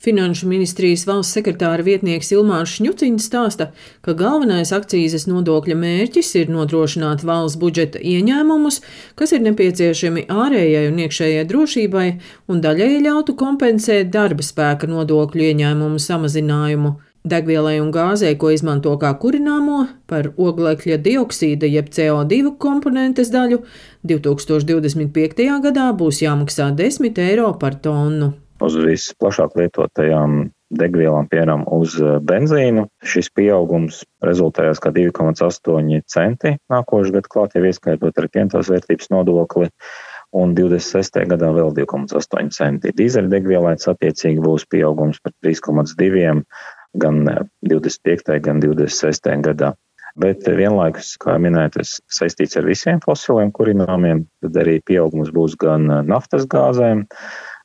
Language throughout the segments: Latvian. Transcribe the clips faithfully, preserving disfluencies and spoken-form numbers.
Finanšu ministrijas valsts sekretāra vietnieks Ilmārs Šņuciņš stāsta, ka galvenais akcīzes nodokļa mērķis ir nodrošināt valsts budžeta ieņēmumus, kas ir nepieciešami ārējai un iekšējai drošībai, un daļēji ļautu kompensēt darba spēka nodokļu ieņēmumu samazinājumu. Degvielai un gāzei, ko izmanto kā kurināmo, par oglekļa dioksīda jeb C O divi komponentes daļu divi tūkstoši divdesmit piektajā gadā būs jāmaksā desmit eiro par tonu. Uz visplašāk lietotajām degvielām, piemēram, uz benzīnu, šis pieaugums rezultējās kā divi komats astoņi centi nākošais gads klāt, jau ieskaitot arī pientos vērtības nodokli, un divdesmit sestajā gadā vēl divi komats astoņi centi. Dīzeļdegvielai attiecīgi būs pieaugums par trīs komats divi gan divdesmit piektajā, gan divdesmit sestajā gadā. Bet vienlaikus, kā minēt, tas saistīts ar visiem fosiliem kurināmiem, tad arī pieaugums būs gan naftas gāzēm,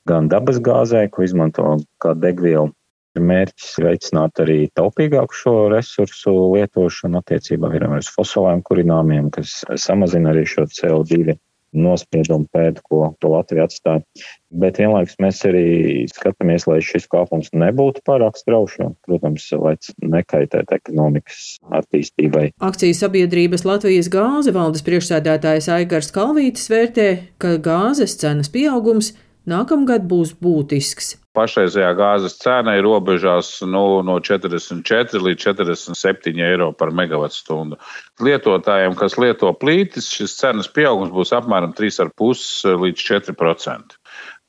gan dabas gāzē, ko izmanto kā degvielu. Mērķis veicināt arī taupīgāku šo resursu lietošanu attiecībā uz fosiliem kurināmiem, kas samazina arī šo C O divi nospiedumu pēdu, ko, ko Latvija atstāja. Bet vienlaikus mēs arī skatāmies, lai šis kāpums nebūtu pārāk straušs, protams, lai nekaitētu ekonomikas attīstībai. Akciju sabiedrības Latvijas gāze valdes priekšsēdētājs Aigars Kalvītis vērtē, ka gāzes cenas pieaugums nākamgad būs būtisks. Pašreizējā gāzes cena ir robežās nu, no četrdesmit četri līdz četrdesmit septiņi eiro par megavatstundu. Lietotājiem, kas lieto plītis, šis cenas pieaugums būs apmēram trīs komats pieci līdz četri procenti.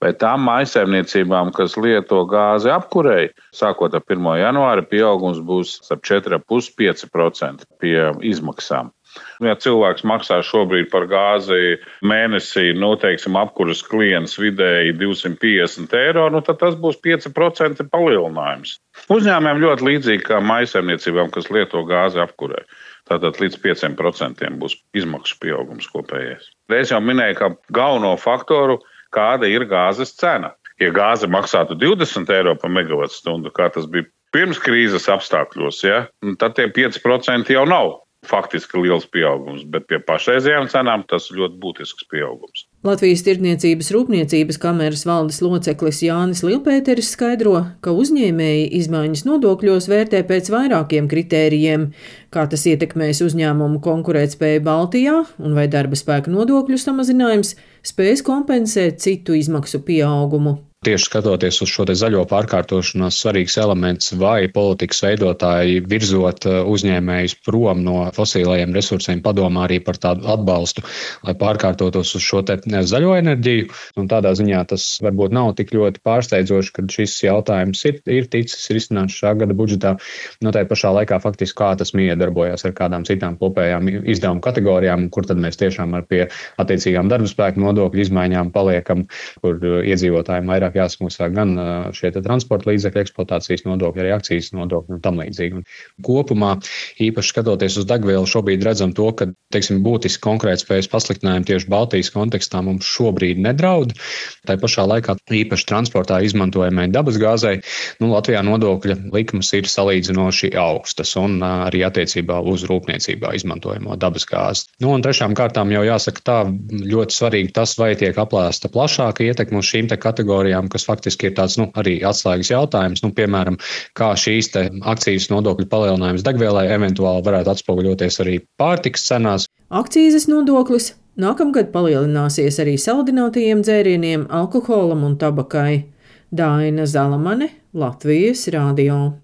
Bet tām mājsaimniecībām, kas lieto gāzi apkurei, sākot ar pirmo janvāri, pieaugums būs ap četri komats pieci līdz pieci procenti pie izmaksām. Ja cilvēks maksā šobrīd par gāzi mēnesī, nu, teiksim, apkuras klients vidēji divsimt piecdesmit eiro, nu, tad tas būs pieci procenti palielinājums. Uzņēmējiem ļoti līdzīgi kā mājsaimniecībām, kas lieto gāzi apkurē. Tātad līdz pieciem procentiem būs izmaksu pieaugums kopējais. Es jau minēju, ka galveno faktoru, kāda ir gāzes cena. Ja gāze maksātu divdesmit eiro par megavatstundu, kā tas bija pirms krīzes apstākļos, ja, tad tie pieci procenti jau nav faktiski liels pieaugums, bet pie pašreizējām cenām tas ir ļoti būtisks pieaugums. Latvijas Tirdzniecības rūpniecības kameras valdes loceklis Jānis Lielpēteris skaidro, ka uzņēmēji izmaiņas nodokļos vērtē pēc vairākiem kritērijiem, kā tas ietekmēs uzņēmumu konkurētspēju Baltijā un vai darba spēka nodokļu samazinājums spēs kompensēt citu izmaksu pieaugumu. Tieši skatoties uz šo te zaļo pārkārtošanos, svarīgs elements, vai politikas veidotāji virzot uzņēmējus prom no fosilajiem resursiem padomā arī par tādu atbalstu, lai pārkārtotos uz šo te zaļo enerģiju. Un tādā ziņā tas varbūt nav tik ļoti pārsteidzoši, kad šis jautājums ir, ir ticis risināts šā gada budžetā. No tai pašā laikā faktiski kā tas miedarbojās ar kādām citām kopējām izdevumu kategorijām, kur tad mēs tiešām ar pie attiecīgām darba spēku nodokļu izmaiņām paliekam, kur iedzīvotājiem vairāk jāsmaksā gan šie transporta līdzekļu eksploatācijas nodokļi, arī akcijas nodokļi un tam līdzīgi. Un kopumā, īpaši skatoties uz degvielu, šobrīd redzam to, ka, teiksim, būtiski konkurētspējas pasliktinājumi tieši Baltijas kontekstā mums šobrīd nedraud. Tā pašā laikā īpaši transportā izmantojamai dabas gāzei, nu, Latvijā nodokļa likmes ir salīdzinoši augstas un arī attiecībā uz rūpniecībā izmantojamo dabas gāzi. Nu, un trešām kārtām jau jāsaka tā ļoti svarīgi tas, vai tiek aplēsta plašāka ietekme uz šīm te kategorijām, kas faktiski ir tāds, nu, arī atslēgas jautājums, nu, piemēram, kā šīs te akcijas nodokļu palielinājums degvielai eventuāli varētu atspoguļoties arī pārtikas cenās. Akcīzes nodoklis nākamgad palielināsies arī saldinātajiem dzērieniem, alkoholam un tabakai. Daina Zalamane, Latvijas radio.